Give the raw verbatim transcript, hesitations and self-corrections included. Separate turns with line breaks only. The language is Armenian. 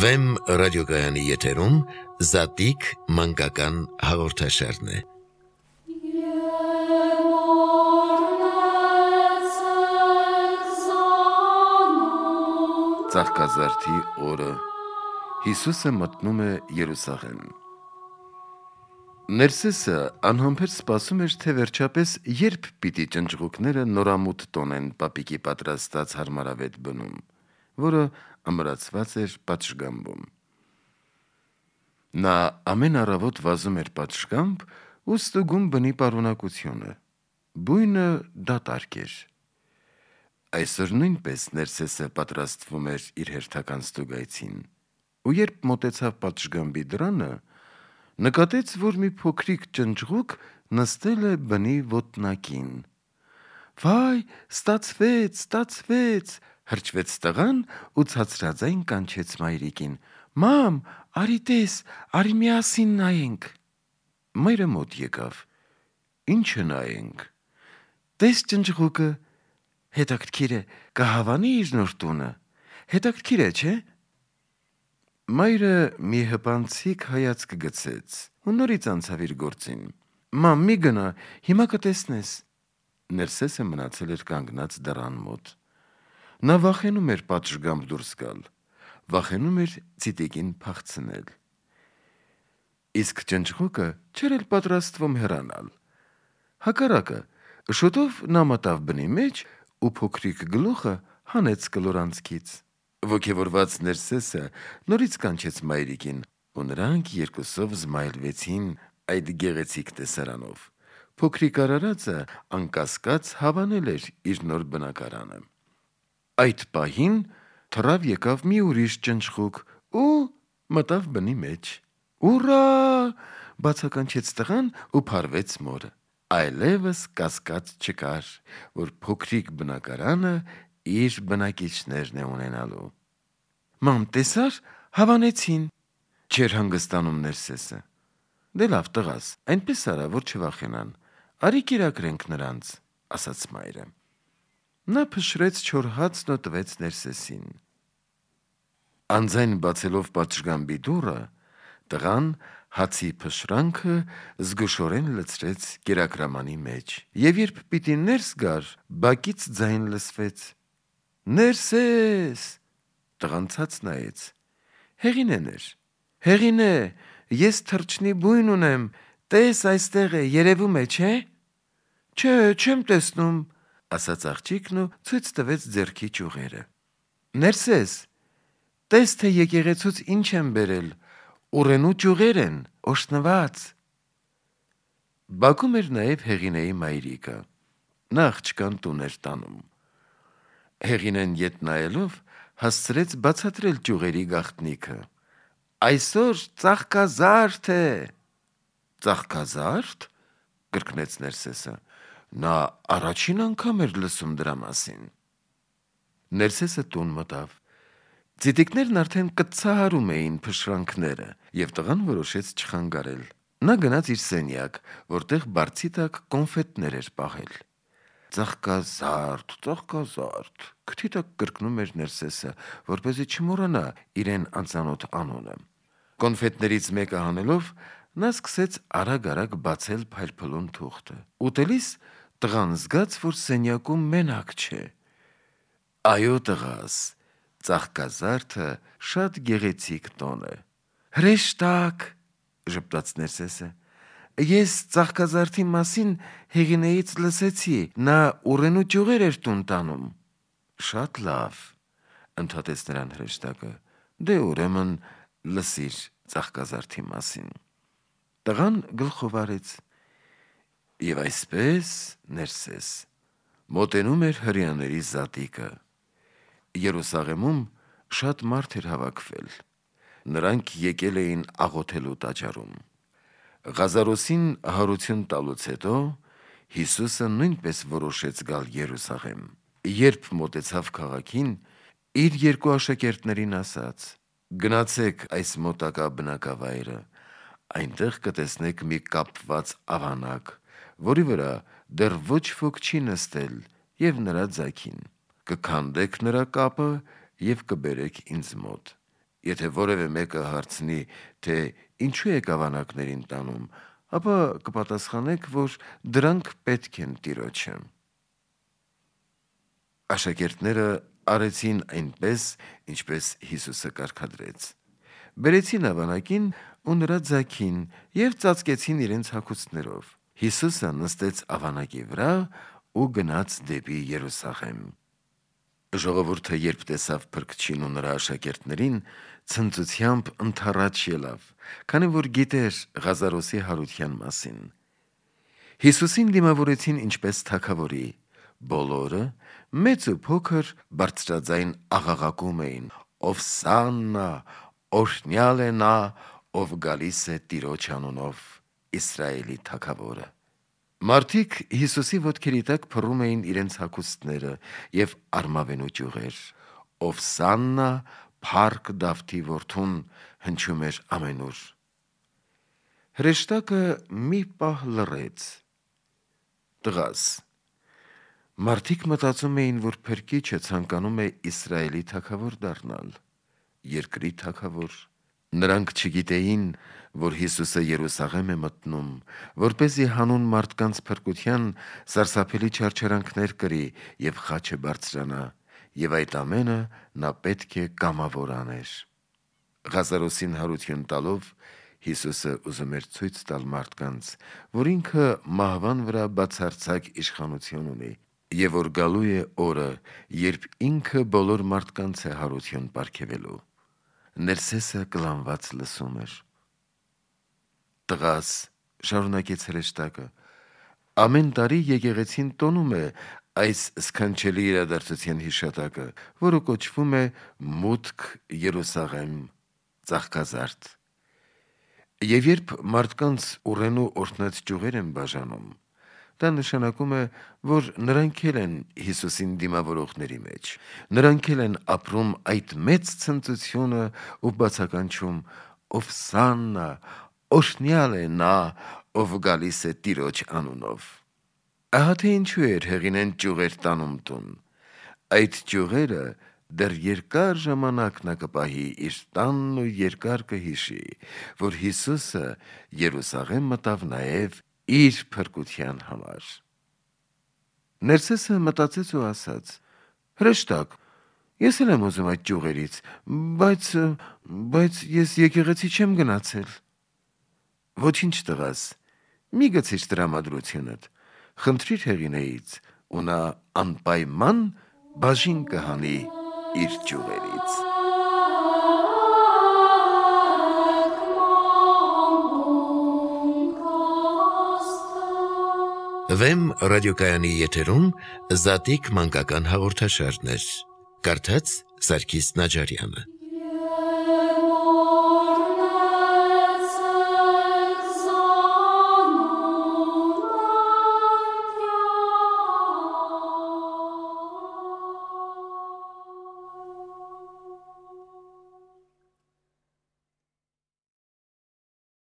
Վեմ ռադիոգայանի եթերում Զատիկ մանկական հաղորդաշարն է։ Ծաղկազարդի օրը Հիսուսը մտնում է Երուսաղեմ։ Ներսեսը անհամբեր սպասում էր, թե վերջապես երբ պիտի ճնճղուկները նորամուտ տոնեն պապիկի պատրաստած հարմարավետ բնում, որը ամրացված էր պատշգամբում։ Նա ամեն առավոտ վազում էր պատշգամբ ու ստուգում բնի պարունակությունը։ Բույնը դատարկ էր։ Այսօր նույնպես Ներսեսը պատրաստվում էր իր հերթական ստուգայցին, ու երբ մոտեցավ պատշգամբի դռանը, նկատեց, որ մի փոքրիկ ճնճղուկ նստել է բնի ոտնակին։ «Վայ, ստացվեց, ստացվեց», հրճվեց տղան ու ցածրաձայն կանչեց մայրիկին. «Մամ, արի տես, արի միասին նայենք»։ Մայրը մոտ եկավ. «Ի՞նչը նայենք»։ «Տես ճնճղուկը, հետաքրքիր է, կհավանի իր նոր տունը, հետաքրքիր է, չէ՞»։ Մայրը մի հպանցիկ հայացք գցեց ու նորից անցավ իր գործին. «Մամ, մի գնա, հիմա կտեսնես»։ Ներսեսը մնացել էր կանգնած դռան մոտ։ Նա վախենում էր պատշգամբ դուրս գալ, վախենում էր ծիտիկին փախցնել։ Իսկ ճնճղուկը չէր էլ պատրաստվում հեռանալ։ Հակառակը, շուտով նա մտավ բնի մեջ ու փոքրիկ գլուխը հանեց կլորանցքից։ Ոգևորված Ներսեսը նորից կանչեց մայրիկին, ու նրանք երկուսով զմայլվեցին այդ գեղեցիկ տեսարանով։ Փոքրիկ արարածը անկասկած հավանել էր իր նոր բնակարանը։ Այդ պահին թռավ եկավ մի ուրիշ ճնճղուկ ու մտավ բնի մեջ։ «Ուռա», բացականչեց տղան ու փարվեց մորը։ Այլևս կասկած չկար, որ փոքրիկ բնակարանը իր բնակիչներն է ունենալու։ «Մամ, տեսա՞ր, հավանեցին», չէր հանգստանում Ներսեսը։ «Դե լավ, տղաս, այնպես արա, որ չվախենան, արի կերակրենք նրանց», ասաց մայրը։ Նա փշրեց չոր հացն ու տվեց Ներսեսին։ Անձայն բացելով պատշգամբի դուռը, տղան հացի փշրանքը զգուշորեն լցրեց կերակրամանի մեջ, և երբ պիտի ներս գար, բակից ձայն լսվեց. «Ներսես»։ Տղան ցած նայեց. Հեղինեն էր։ «Հեղինե, ես թռչնի բույն ունեմ, տես այստեղ է, երևում է, չէ՞։ «Չէ, չեմ տեսնում», ասաց աղջիկն ու ցույց տվեց ձեռքի ճյուղերը։ «Ներսես, տես, թե եկեղեցուց ինչ եմ բերել, ուռենու ճյուղեր են, օժտնված»։ Բակում էր նաև Հեղինեի մայրիկը։ Նա աղջկան տուն էր տանում։ Հեղինեն ետ նայելով հասցրեց բացատրել ճյուղերի գաղտնիքը. «Այսօր ծաղկազարդ է»։ «Ծաղկազա՞րդ», կրկնեց Ներսեսը։ Նա առաջին անգամ էր լսում դրա մասին։ Ներսեսը տուն մտավ։ Ծիտիկներն արդեն կծահարում էին փշրանքները, և տղան որոշեց չխանգարել։ Նա գնաց իր սենյակ, որտեղ բարձի տակ կոնֆետներ էր պահել։ «Ծաղկազարդ, ծաղկազարդ», քթի տակ կրկնում էր Ներսեսը, որպեսզի չմոռանա իրեն անծանոթ անունը։ Կոնֆետներից մեկը հանելով, նա սկսեց արագ-արագ բացել փայլփլուն թուղթը։ Ուտելիս տղան զգաց, որ սենյակում մենակ չէ։ «Այո, տղաս, ծաղկազարդը շատ գեղեցիկ տոն է»։ «Հրեշտակ», ժպտաց Ներսեսը։ «Ես ծաղկազարդի մասին Հեղինեից լսեցի, նա ուռենու ճյուղեր էր տուն տանում»։ «Շատ լավ», ընդհատեց նրան հրեշտակը։ «Դե ուրեմն լսիր ծաղկազարդի մասին»։ Տղան գլխով արեց։ Եվ այսպես, Ներսես, մոտենում էր հրեաների զատիկը։ Երուսաղեմում շատ մարդ էր հավաքվել։ Նրանք եկել էին աղոթելու տաճարում։ Ղազարոսին հարություն տալուց հետո Հիսուսը նույնպես որոշեց գալ Երուսաղեմ։ Երբ մոտեցավ քաղաքին, իր երկու աշակերտներին ասաց. «Գնացեք այս մոտակա բնակավայրը, այնտեղ կտեսնեք մի կապված ավանակ, որի վրա դեռ ոչ ոք չի նստել, և նրա ձագին։ Կքանդեք նրա կապը և կբերեք ինձ մոտ։ Եթե որևէ մեկը հարցնի, թե ինչու եք ավանակներին տանում, ապա կպատասխանեք, որ դրանք պետք են Տիրոջը։ Աշակերտները արեցին այնպես, ինչպես Հիսուսը կարգադրեց։ Բերեցին ավանակին ու նրա ձագին և ծածկեցին իրենց հագուստներով։ Հիսուսը նստեց ավանակի վրա ու գնաց դեպի Երուսաղեմ։ Ժողովուրդը երբ տեսավ Փրկչին ու նրա աշակերտներին, ցնծությամբ ընդառաջ ելավ, քանի որ գիտեր Ղազարոսի հարության մասին։ Հիսուսին դիմավորեցին ինչպես թագավորի, բոլորը, մեծ ու փոքր, բարձրաձայն աղաղակում էին. «Ովսաննա, օրհնյալ է նա, ով գալիս է Տիրոջ անունով, Իսրայելի թագավորը»։ Մարդիկ Հիսուսի ոտքերի տակ փռում էին իրենց հագուստները և արմավենու ճյուղեր։ «Ովսաննա, փառք Դավթի որդուն» հնչում էր ամենուր։ Հրեշտակը մի պահ լռեց։ «Տղաս», մարդիկ մտածում էին, որ Փրկիչը ցանկանում է Իսրայելի թագավոր դառնալ, երկրի թագավոր։ Նրանք չգիտեին, որ Հիսուսը Երուսաղեմ է մտնում, որպեսզի հանուն մարդկանց փրկության սարսափելի չարչարանքներ կրի և խաչը բարձրանա, և այդ ամենը նա պետք է կամավոր աներ։ Ղազարոսին հարություն տալով Հիսուսը ուզում էր ցույց տալ մարդկանց, որ ինքը մահվան վրա բացարձակ իշխանություն ունի, և որ գալու է օրը, երբ ինքը բոլոր մարդկանց է հարություն պարգևելու։ Ներսեսը կլանված լսում էր։ «Տղաս», շարունակեց հրեշտակը, «ամեն տարի եկեղեցին տոնում է այս սքանչելի իրադարձության հիշատակը, որը կոչվում է «Մուտք Երուսաղեմ» ծաղկազարդ։ Եվ երբ մարդկանց ուռենու օրհնած ճյուղեր են բաժանում, դա նշանակում է, որ նրանք էլ են Հիսուսին դիմավորողների մեջ, նրանք էլ են ապրում այդ մեծ ցնծությունը ու բացականչում. «Ովսաննա, օրհնյալ է նա, ով գալիս է Տիրոջ անունով»։ Ահա թե ինչու էր հեղինեն ճյուղեր տանում տուն։ Այդ ճյուղերը դեռ երկար ժամանակ նա կպահի իր տանն ու երկար կհիշի, որ Հիսուսը Երուսաղեմ մտավ նաև իր փրկության համար։ Ներսեսը մտածեց ու ասաց. «Հրեշտակ, ես էլ եմ ուզում այդ ճյուղերից, բայց, բայց ես եկեղեցի չեմ գնացել»։ «Ոչինչ, տղաս, մի գցիր տրամադրությունդ, խնդրիր հեղինեից, ու նա անպայման բաժին կհանի իր ճյուղերից»։ Վեմ ռադիոկայանի եթերում Զատիկ մանկական հաղորդաշարներ։ Կարդաց Սարգիս Նաջարյանը։